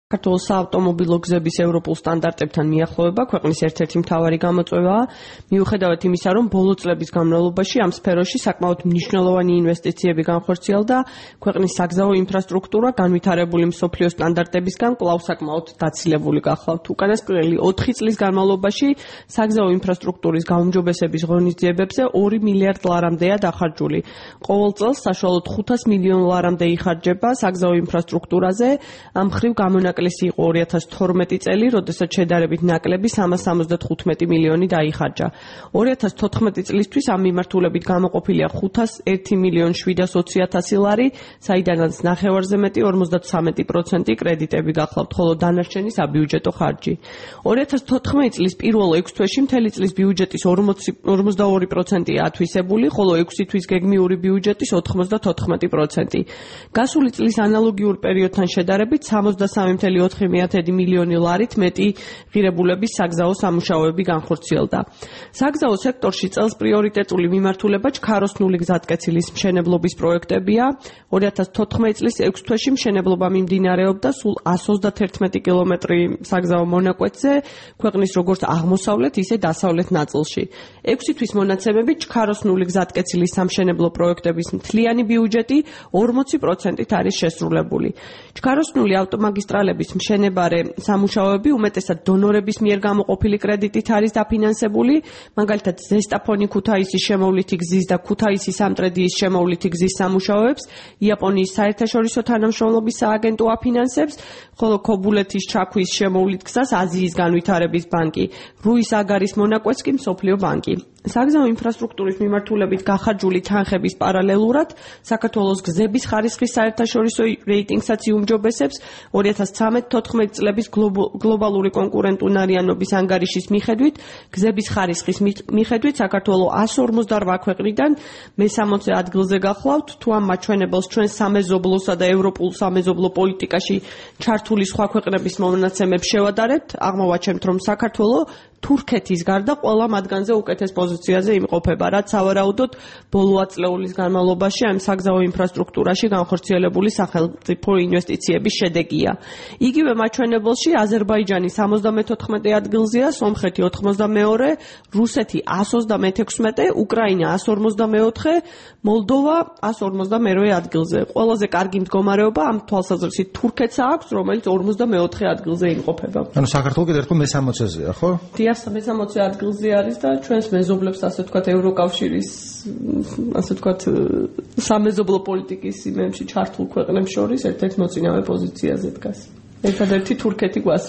საქართველოს საავტომობილო გზების ევროპულ სტანდარტებთან მიახლოება ქვეყნის ერთ-ერთი მთავარი გამოწვევაა, მიუხედავად იმისა, რომ ბოლო წლების განმავლობაში ამ სფეროში საკმაოდ მნიშვნელოვანი ინვესტიციები განხორციელდა, ქვეყნის საგზაო ინფრასტრუქტურა განვითარებული მსოფლიო სტანდარტებისგან კვლავ საკმაოდ დაცილებული გახლავთ. უკანასკნელი 4 წლის განმავლობაში საგზაო ინფრასტრუქტურის გაუმჯობესების ღონისძიებებზე 2 მილიარდ ლარამდეა დახარჯული. ყოველ წელს საშუალოდ 500 მილიონ ლარამდე იხარჯება საგზაო ინფრასტრუქტურაზე, ამ მხრივ გამონაკლისი იყო 2012 წელი, როდესაც შედარებით ნაკლები 375 მილიონი დაიხარჯა. 2014 წლისთვის ამ მიმართულებით გამოყოფილია 501 მილიონ 720 ლარი, საიდანაც ნახევარზე მეტი 53% კრედიტები გახლავთ, ხოლო დანარჩენი საბიუჯეტო ხარჯი. 2014 წლის პირველ 6 თვეში მთელი წლის ბიუჯეტის 42%-ია ათვისებული, ხოლო 6 თვის გეგმიური ბიუჯეტის 94%. გასული წლის ანალოგიურ პერიოდთან შედარებით 63.4 მილიონი ლარით მეტი ღირებულების საგზაო სამუშაოები განხორციელდა. საგზაო სექტორში წელს პრიორიტეტული მიმართულება ჩქაროსნული გზატკეცილის მშენებლობის პროექტებია. 2014 წლის 6 თვეში მშენებლობა მიმდინარეობდა სულ 131 კილომეტრი საგზაო მონაკვეთზე, ქვეყნის როგორც აღმოსავლეთ, ისე დასავლეთ ნაწილში. 6 თვის მონაცემებით ჩქაროსნული გზატკეცილის სამშენებლო პროექტების მთლიანი ბიუჯეტი 40%-ით არის შესრულებული. ჩქაროსნული ავტომაგისტრალების მშენებარე სამუშაოები უმეტესად დონორების მიერ გამოყოფილი კრედიტით არის დაფინანსებული, მაგალითად ზესტაფონი-ქუთაისის შემოვლითი გზის და ქუთაისი-სამტრედიის შემოვლითი გზის სამუშაოებს იაპონიის საერთაშორისო თანამშრომლობის სააგენტო აფინანსებს, ხოლო ქობულეთის ჩაქვის შემოვლით გზას აზიის განვითარების ბანკი, რუის-აგარის მონაკვეთს კი მსოფლიო ბანკი. საგზაო ინფრასტრუქტურის მიმართულებით გახარჯული თანხების პარალელურად საქართველოს გზების ხარისხის საერთაშორისო რეიტინგსაც იუმჯობესებს 2013-14 წლების გლობალური კონკურენტუნარიანობის ანგარიშის მიხედვით, გზების ხარისხის მიხედვით საქართველოს 158 ქვეყნიდან მე-60 ადგილზე გახლავთ, თუ ამ მაჩვენებელს ჩვენ სამეზობლოსა და ევროპულ სამეზობლო პოლიტიკაში ჩართული სხვა ქვეყნების მონაცემებს შევადარებთ, აღმოვაჩენთ, რომ საქართველოს თურქეთის გარდა ყველა მათგანზე უკეთეს პოზიციაზე იმყოფება, რაც სავარაუდოდ ბოლო ათწლეულის განმავლობაში ამ საგზაო ინფრასტრუქტურაში განხორციელებული სახელმწიფო ინვესტიციების შედეგია. იგივე მაჩვენებელში აზერბაიჯანი 74 ადგილზეა, სომხეთი 82, რუსეთი 126, უკრაინა 154, მოლდოვა 152 ადგილზე. ყველაზე კარგი მდგომარეობა ამ თვალსაზრისით თურქეთს აქვს, რომელიც 44 ადგილზე იმყოფება. ანუ საქართველოს კიდევ ერთხელ მე-60-ზეა, ხო? მე-60 ადგილზე არის და ჩვენს მეზობლებს, ასე ვთქვათ, ევროკავშირის, ასე ვთქვათ, სამეზობლო პოლიტიკის იმებში ჩართულ ქვეყნებს შორის ერთ-ერთ მოწინავე პოზიციაზე დგას. ერთადერთი თურქეთი გვასწრებს.